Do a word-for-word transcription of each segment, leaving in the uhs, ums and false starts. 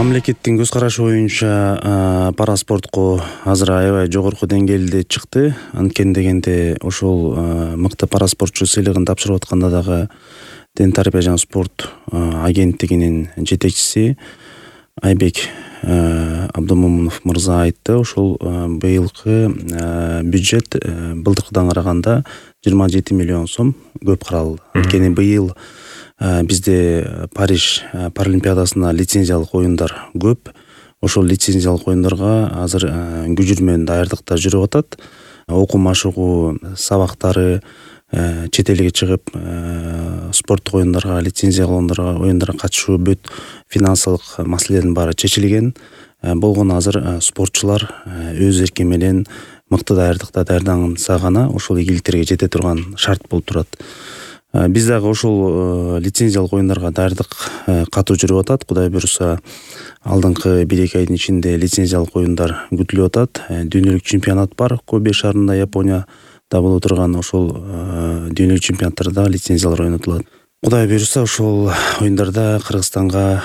Мамлекеттин көз карашы боюнча пара спортко азыр аябай жогорку деңгээлде чыкты. Анткени дегенде ошол мыкты пара спортчу сыйлыгын тапшырып атканда дагы Ден тарбия жана спорт агенттигинин жетекчиси Айбек Абдумомунов мырза айтты. Ошол быйылкы бюджет былтыркыдан караганда жыйырма жети миллион сом көп каралды. Анткени быйыл бизде Париж паралимпиадасына лицензиялык оюндар көп. Ошол лицензиялык оюндарга азыр күжүр менен даярдыктар жүрүп атат. Окуу машыгуу сабактары, чет элге чыгып спорттук оюндарга, лицензия алгандарға оюндарга катышуу, бүт финансылык маселелердин баары чечилген. Болгону азыр спортчулар өз эрки менен мыкты даярдыкта даярданса гана ошол ийгиликтерге жете турган шарт болуп турат. Биз дагы ошол лицензиялык оюндарга даярдык катуу жүрүп атат. Кудай буюрса, алдыңкы бир эки айдын ичинде лицензиялык оюндар күтүлүп атат. Дүйнөлүк чемпионат бар, Кобе шаарында, Японияда боло турган ошол дүйнөлүк чемпионаттарда лицензиялар ойнотулат. Кудай буюрса, ошол оюндарда Кыргызстанга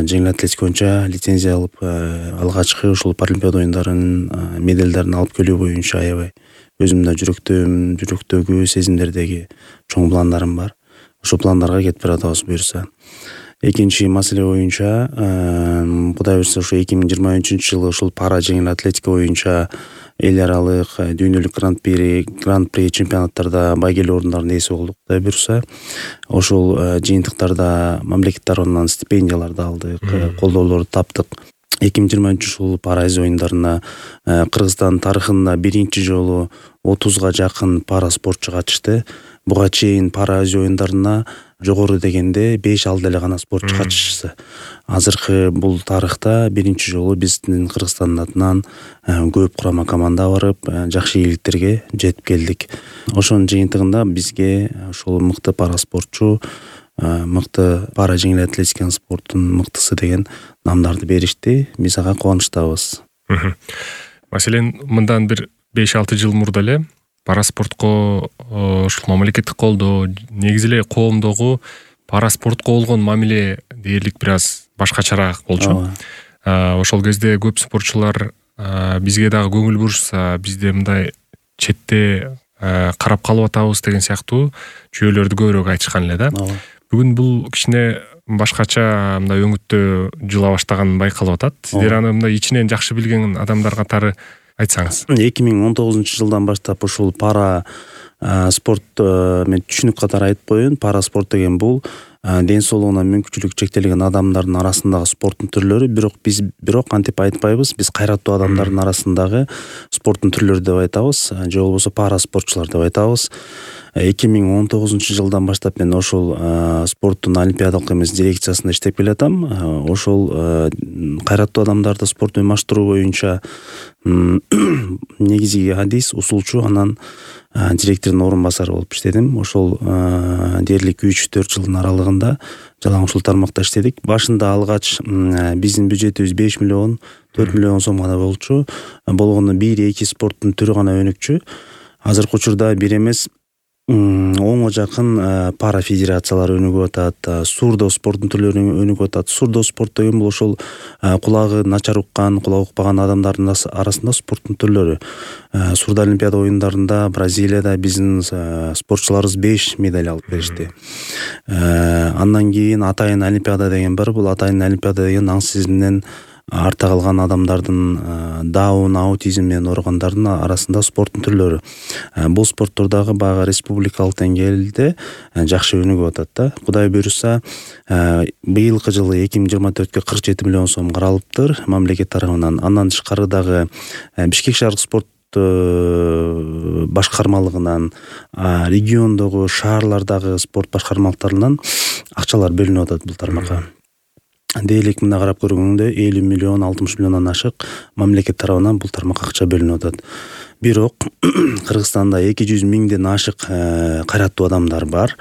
жеңил атлетика боюнча лицензия алып, алгачкы ошол паралимпиада оюндарынын медалдарын алып келүү боюнча аябай өзүм да жүрөктөм, жүрөктөгү сезимдердеги чоң пландарым бар. Ошол пландарга кетип баратабыз буюрса. Экинчи маселе боюнча, Кудай буюрса, ошо эки миң жыйырма үчүнчү жылы ошол пара жеңил атлетика боюнча эл аралык дүйнөлүк гран-при гран-при чемпионаттарда байгелүү орундардын ээси болдук. Кудай буюрса, ошол жыйынтыктарда мамлекет тарабынан стипендияларды алдык, колдоолорду таптык. эки миң жыйырма үчүнчү жылы пара азия оюндарына Кыргызстан тарыхында биринчи жолу отузга жакын пара спортчу катышты. Буга чейин пара азия оюндарына жогору дегенде беш алты эле гана спортчу катышты. Азыркы бул тарыхта биринчи жолу биздин Кыргызстандын атынан көп курама команда барып, жакшы ийгиликтерге жетип келдик. Ошонун жыйынтыгында бизге ошол мыкты пара спортчу, мыкты пара жеңил атлетика спорттун мыктысы деген намдарды беришти. Биз ага кубанычтабыз. Маселен, мындан бир беш алты жыл мурда эле пара спортко ушул мамлекеттик колдоо, негизи эле коомдогу пара спортко болгон мамиле дээрлик бир аз башкачараак болчу. Ошол кезде көп спортчулар бизге дагы көңүл бурушса, бизде мындай четте карап калып атабыз деген сыяктуу жүйөлөрдү көбүрөөк айтышкан эле да. Бүгүн бул кичине башкача мындай өңүттө жыла баштаганын байкалып атат. Сиздер аны мындай ичинен жакшы билген адамдар катары айтсаңыз. эки миң он тогузунчу жылдан баштап ушул пара спорт мен түшүнүк катары айтып коеюн. Пара спорт деген бул ден соолугуна мүмкүнчүлүгү чектелген адамдардын арасындагы спорттун түрлөрү. Бирок биз бирок антип айтпайбыз. Биз кайраттуу адамдардын арасындагы спорттун түрлөрү деп айтабыз, же болбосо пара спортчулар деп айтабыз. эки миң он тогузунчу жылдан баштап мен ошол спорттун олимпиадалык эмес дирекциясында иштеп келатам. Ошол кайраттуу адамдарды спорт менен маштыруу боюнча негизги адис, усулчу, анан директордун орун басары болуп иштедим. Ошол дээрлик үч төрт жылдын аралыгында жалаң ушул тармакта иштедик. Башында алгач биздин бюджетибиз беш миллион, төрт миллион сом гана болчу. Болгону бир эки спорттун түрү гана өнүкчү. Азыркы учурда бир эмес онго жакын пара федерациялар өнүгүп атат, сурдо спорттун түрлөрү өнүгүп атат. Сурдо спорт деген бул ошол кулагы начар уккан, кулагы укпаган адамдардын арасында спорттун түрлөрү. Сурдо олимпиада оюндарында Бразилияда биздин спортчуларыбыз беш медаль алып беришти. Андан кийин атайын олимпиада деген бар. Бул атайын олимпиада деген аң сезиминен артта калган адамдардын, даун, аутизм менен ооругандардын арасында спорттун түрлөрү. Бул спорттордогу баягы республикалык деңгээлде жакшы өнүгүп атат да. Кудай буюрса, быйылкы жылы эки миң жыйырма төрткө кырк жети миллион сом каралыптыр мамлекет тарабынан. Андан тышкары дагы Бишкек шаардык спорт башкармалыгынан, региондогу, шаарлардагы спорт башкармалыктарынан акчалар бөлүнүп атат бул тармакка. Дээлик мында карап көргөндө элүү миллион, алтымыш миллиондон ашык мамлекет тарабынан бул тармакка акча бөлүнүп атат. Бирок Кыргызстанда эки жүз миңден ашык кайраттуу адамдар бар.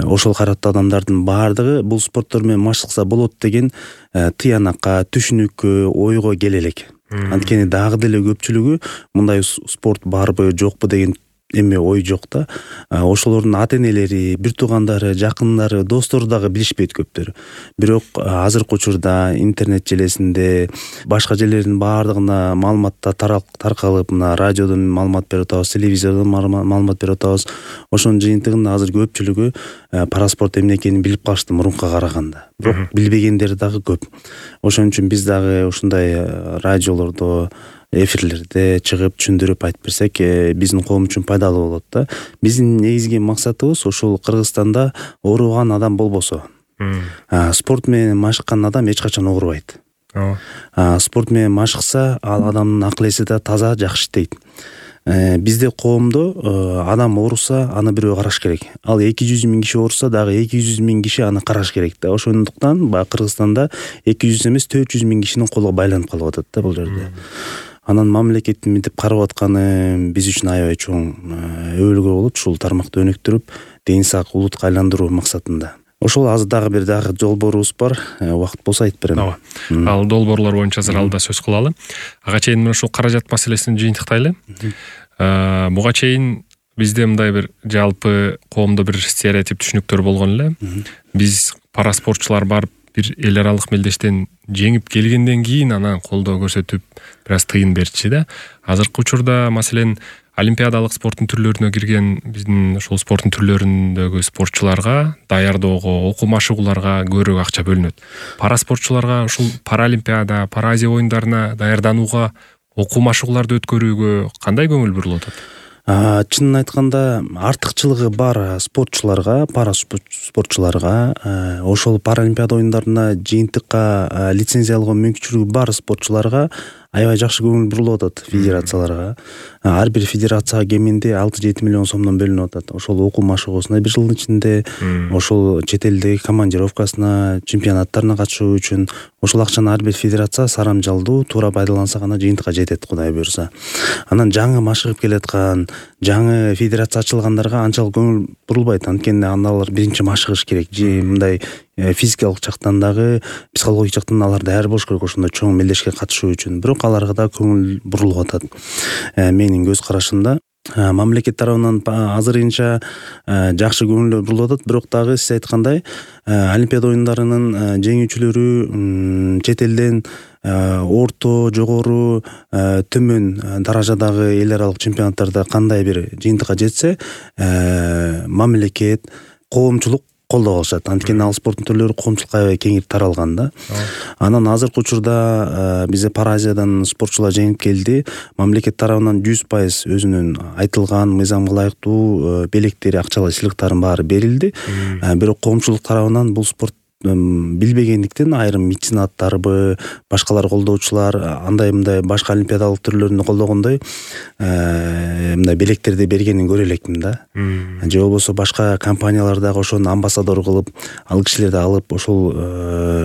Ошол кайраттуу адамдардын баардыгы бул спорттор менен маштыкса болот деген тыянакка, түшүнүккө, ойго келе элек. Анткени дагы деле көпчүлүгү мындай спорт барбы, жокпу деген эме ой жок да. Ошолордун ата энелери, бир туугандары, жакындары, достору дагы билишпейт көптөрү. Бирок азыркы учурда интернет желесинде башка жерлердин баардыгына маалыматтар таркалып, мына радиодон маалымат берип атабыз, телевизордон маалымат берип атабыз. Ошонун жыйынтыгында азыр көпчүлүгү параспорт эмне экенин билип калышты мурункуга караганда. Бирок билбегендер дагы көп. Ошон үчүн биз дагы ушундай радиолордо, эфирлерде чыгып түшүндүрүп айтып берсек, биздин коом үчүн пайдалуу болот да. Биздин негизги максатыбыз ошол Кыргызстанда ооруган адам болбосо. Спорт менен машыккан адам эч качан оорубайт. Спорт менен машыкса, ал адамдын акыл эси да таза, жакшы иштейт. Бизде коомдо адам ооруса, аны бирөө караш керек. Ал эки жүз миң киши ооруса, дагы эки жүз миң киши аны караш керек да. Ошондуктан баягы Кыргызстанда эки жүз эмес төрт жүз миң кишинин колу байланып калып атат да бул жерде. Анан мамлекеттин мынтип карап атканы биз үчүн аябай чоң өбөлгө болот. Ушул тармакты өнүктүрүп, ден сак улутка айландыруу максатында. Ошол азыр дагы бир дагы долбоорубуз бар. Убакыт болсо айтып берем. Ооба. Ал долбоорлор боюнча азыр алда сөз кылалы. Ага чейин мына ушул каражат маселесин жыйынтыктайлы. Буга чейин бизде мындай бир жалпы коомдо бир стереотип түшүнүктөр болгон эле. Биз параспортчулар барып бир эл аралык мелдештен жеңип келгенден кийин анан колдоо көрсөтүп бир аз тыйын берчи да. Азыркы учурда маселен олимпиадалык спорттун түрлөрүнө кирген биздин ошол спорттун түрлөрүндөгү спортчуларга даярдоого, окуу машыгууларга көбүрөөк акча бөлүнөт. Параспортчуларга ушул Паралимпиада, Паразия оюндарына даярданууга, окуу машыгууларды өткөрүүгө кандай көңүл бурулуп атат? Чынын айтканда артыкчылыгы бар спортчуларга, пара спортчуларга, ошол Паралимпиада оюндарына жыйынтыкка лицензия алган мүмкүнчүлүгү бар спортчуларга аябай жакшы көңүл бурулуп атат федерацияларга. Ар бир федерацияга кеминде алты жети миллион сомдон бөлүнүп атат. Ошол окуу машыгуусуна бир жылдын ичинде, ошол чет элдеги командировкасына, чемпионаттарына катышуу үчүн ошол акчаны ар бир федерация сарамжалдуу туура пайдаланса гана жыйынтыкка жетет, Кудай буюрса. Анан жаңы машыгып келаткан, жаңы федерация ачылгандарга анчалык көңүл бурулбайт. Анткени аналар биринчи машыгыш керек. Мындай физикалык жактан дагы, психологик жактан алар даяр болуш керек ошондой чоң мелдешке катышуу үчүн. Бирок аларга да көңүл бурулуп атат. Менин көз карашымда мамлекет тарабынан азырынча жакшы көңүл бурулуп атат. Бирок дагы сиз айткандай, Олимпиада оюндарынын жеңүүчүлөрү чет элден орто, жогору, төмөн даражадагы эл аралык чемпионаттарда кандай бир жыйынтыкка жетсе, мамлекет, коомчулук колдоп алышат. Анткени ал спорттун түрлөрү коомчулукка аябай кеңири таралган да. Анан азыркы учурда бизде Паразиядан спортчулар жеңип келди. Мамлекет тарабынан жүз пайыз өзүнүн айтылган мыйзамга ылайыктуу белектери, акчалай сыйлыктардын баары берилди. Бирок коомчулук тарабынан бул спорт билбегендиктен айрым меценаттарбы, башкалар колдоочулар андай мындай башка олимпиадалык түрлөрүндө колдогондой мындай белектерди бергенин көрө элекмин да. Же болбосо башка компаниялар дагы ошону амбассадор кылып, ал кишилерди алып ошол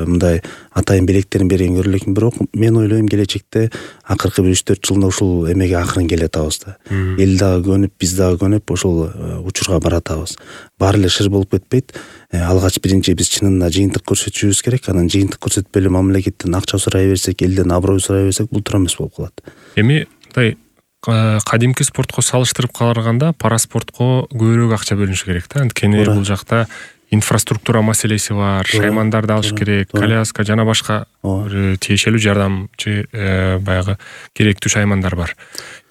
мындай атайын белектерин берген көрө элекмин. Бирок мен ойлойм келечекте акыркы бир үч төрт жылда ушул эмеге акырын келе атабыз да. Эл дагы көнүп, биз дагы көнүп ошол учурга баратабыз. Баары эле шыр болуп кетпейт. Алгач биринчи биз чынында жыйынтык көрсөтүшүбүз керек. Анан жыйынтык көрсөтпөй эле мамлекеттен акча сурай берсек, элден аброй сурай берсек, бул туура эмес болуп калат. Эми мындай кадимки спортко салыштырып караганда параспортко көбүрөөк акча бөлүнүш керек да. Анткени бул жакта инфраструктура маселеси бар, шаймандарды алыш керек, коляска жана башка тиешелүү жардамчы баягы керектүү шаймандар бар.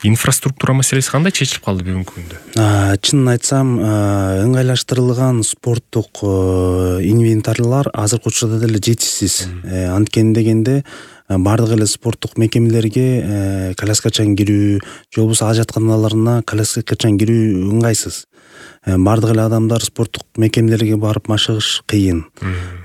Инфраструктура маселеси кандай чечилип калды бүгүнкү күндө? Чынын айтсам, ыңгайлаштырылган спорттук инвентарлар азыркы учурда деле жетишсиз. Анткени дегенде бардык эле спорттук мекемелерге коляскачан кирүү, же болбосо ажатканаларына коляскачан кирүү ыңгайсыз. Бардык эле адамдар спорттук мекемелерге барып машыгыш кыйын.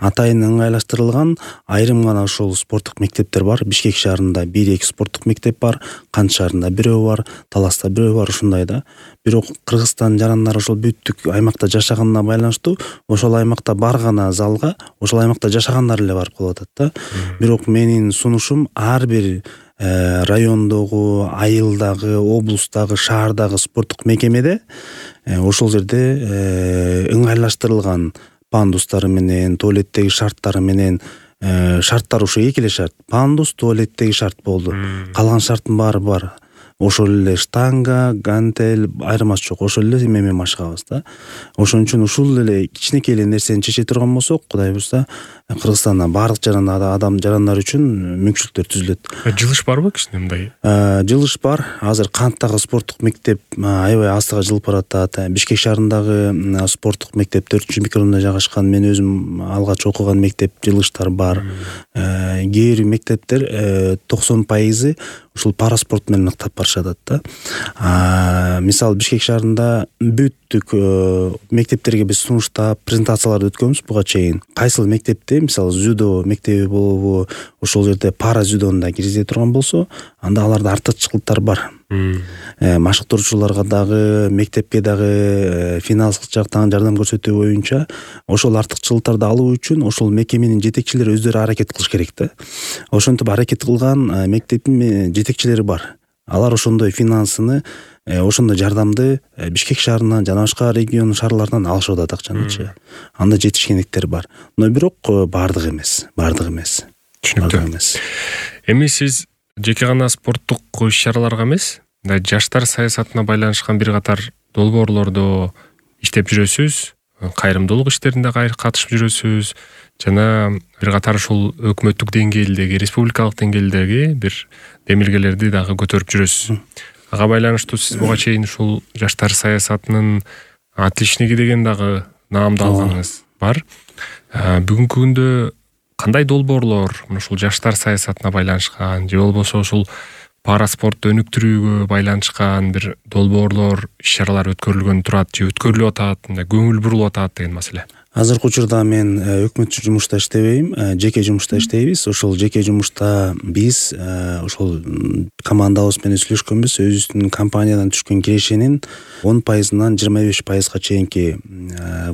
Атайын ыңгайлаштырылган айрым гана ошол спорттук мектептер бар. Бишкек шаарында бир эки спорттук мектеп бар, Кант шаарында бирөө бар, Таласта бирөө бар, ушундай да. Бирок Кыргызстан жарандар ошол бүттүк аймакта жашаганына байланыштуу ошол аймакта бар гана залга ошол аймакта жашагандар эле барып калып атат да. Бирок менин сунушум ар бир райондогу, айылдагы, облустагы, шаардагы спорттук мекемеде ошол жерде ыңгайлаштырылган пандустары менен, туалеттеги шарттары менен, шарттар ушу эки эле шарт. Пандус, туалеттеги шарт болду. Калган шарттын баары бар. ошол эле штанга, гантель айырмасы жок, ошол эле эме менен машыгабыз да. Ошон үчүн ушул эле кичинекей эле нерсени чече турган болсок, Кудай буюрса, Кыргызстанда баардык жарандар адам жарандар үчүн мүмкүнчүлүктөр түзүлөт. Жылыш барбы кичине мындай? Жылыш бар. Азыр Канттагы спорттук мектеп аябай астыга жылып баратат. Бишкек шаарындагы спорттук мектеп төртүнчү микрорайондо жайгашкан. Мен өзүм алгач окуган мектеп жылыштар бар. Кээ бир мектептер токсон пайызы ушул параспорт менен ыктап барышат да. Мисалы Бишкек шаарында бүттүк мектептерге биз сунуштап презентацияларды өткөнбүз буга чейин. Кайсыл мектепте мисалы дзюдо мектеби болобу, ошол жерде пара дзюдону да киргизе турган болсо, анда аларда артыкчылыктар бар. Машыктыруучуларга дагы, мектепке дагы финансылык жактан жардам көрсөтүү боюнча ошол артыкчылыктарды алуу үчүн ошол мекеменин жетекчилери өздөрү аракет кылыш керек да. Ошентип аракет кылган мектептин жетекчилери бар. Алар ошондой финансыны, ошондой жардамды Бишкек шаарынан жана башка регион шаарларынан алышып атат акчанычы. Анда жетишкендиктер бар. Но бирок баардык эмес, баардык эмес. Түшүнүктүү. Эми сиз жеке гана спорттук иш-чараларга эмес, жаштар саясатына байланышкан бир катар долбоорлордо иштеп жүрөсүз, кайрымдуулук иштеринде катышып жүрөсүз жана бир катар ушул өкмөттүк деңгээлдеги, республикалык деңгээлдеги бир демилгелерди дагы көтөрүп жүрөсүз. Ага байланыштуу сиз буга чейин ушул жаштар саясатынын отличниги деген дагы наамды алганыңыз бар. Бүгүнкү күндө кандай долбоорлор ушул жаштар саясатына байланышкан же болбосо ушул параспорт өнүктүрүүгө байланышкан бир долбоорлор, иш-чаралар өткөрүлгөн турат же өткөрүлүп атат, көңүл бурулуп атат деген маселе? Азыркы учурда мен өкмөттүк жумушта иштебейм, жеке жумушта иштейбиз. Ошол жеке жумушта биз ошол командабыз менен сүйлөшкөнбүз. Өзүбүздүн компаниядан түшкөн кирешенин он пайызынан жыйырма беш пайызга чейинки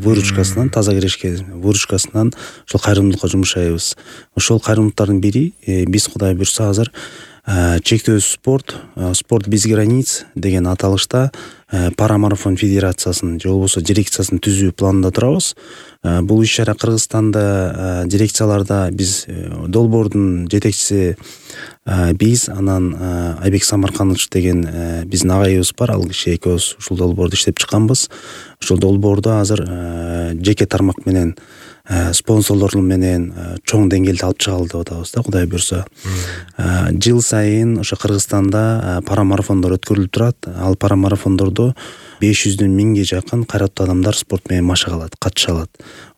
выручкасынан, таза кирешке выручкасынан ошол кайрымдуулукка жумшайбыз. Ошол кайрымдуулуктардын бири биз Кудай буйрса азыр чектөөсүз спорт, спорт без границ деген аталышта парамарафон федерациясын же болбосо дирекциясын түзүү планында турабыз. Бул иш-чара Кыргызстанда дирекцияларда биз долбоордун жетекчиси биз, анан Айбек Самарканович деген биздин агайыбыз бар, ал киши экөөбүз ушул долбоорду иштеп чыкканбыз. Ошол долбоорду азыр жеке тармак менен спонсорлор менен чоң деңгээлде алып чыгалды деп атабыз да, Кудай буйрса. Жыл сайын ошо Кыргызстанда парамарафондор өткөрүлүп турат. Ал парамарафондордо беш жүздөн миңге жакын кайраттуу адамдар спорт менен машыга алат, катыша алат.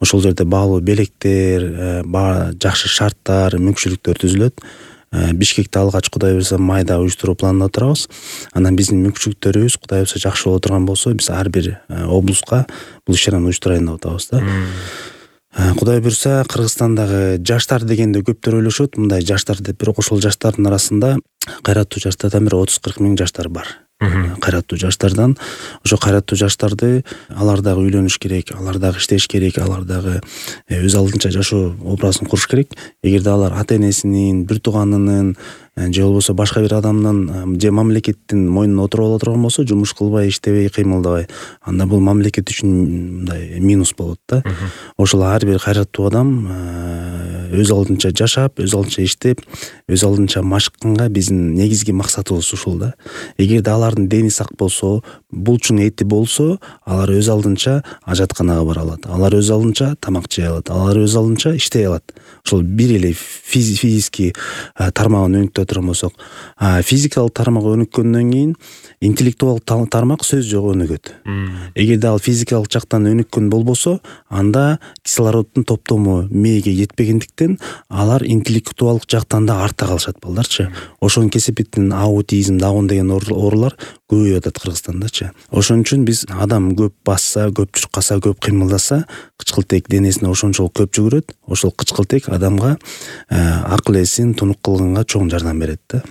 Ошол жерде баалуу белектер, жакшы шарттар, мүмкүнчүлүктөр түзүлөт. Бишкекте алгач Кудай буйрса майда уюштуруу планында турабыз. Анан биздин мүмкүнчүлүктөрүбүз Кудай буйрса жакшы боло турган болсо, биз ар бир облуска бул иш-чараны уюштурайын деп атабыз да. Кудай буйрса Кыргызстандагы жаштар дегенде көптөр ойлошот, мындай жаштар деп, бирок ошол жаштардын арасында кайраттуу жаштардан бир отуз кырк миң жаштар бар. Кайраттуу жаштардан, ошо кайраттуу жаштарды алар дагы үйлөнүш керек, алар дагы иштеш керек, алар дагы өз алдынча жашоо образын куруш керек. Эгерде алар ата-энесинин, бир тууганынын же болбосо башка бир адамдын же мамлекеттин мойнуна отуруп ала турган болсо, жумуш кылбай, иштебей, кыймылдабай, анда бул мамлекет үчүн мындай минус болот да. Ошол ар бир кайраттуу адам өз алдынча жашап, өз алдынча иштеп, өз алдынча машыкканга биздин негизги максатыбыз ушул да. Эгерде алардын дени сак болсо, булчун эти болсо, алар өз алдынча ажатканага бара алат. Алар өз алдынча тамак жей алат. Алар өз алдынча иштей алат. Ошол бир эле физический тармагын өнүктө турган болсок, физикалык тармак өнүккөндөн кийин интеллектуалдык тармак сөз жогу өнүгөт. Эгерде ал физикалык жактан өнүккөн болбосо, анда кислороддун топтому мээге жетпегендиктен алар интеллектуалдык жактан да артта калышат балдарчы. Ошонун кесепетинен аутизм, даун деген оорулар көбөйүп атат Кыргызстандачы. Ошон үчүн биз адам көп басса, көп чуркаса, көп кыймылдаса, кычкылтек денесине ошончолук көп жүгүрөт. Ошол кычкылтек адамга акыл эсин тунук кылганга чоң жардам берет да.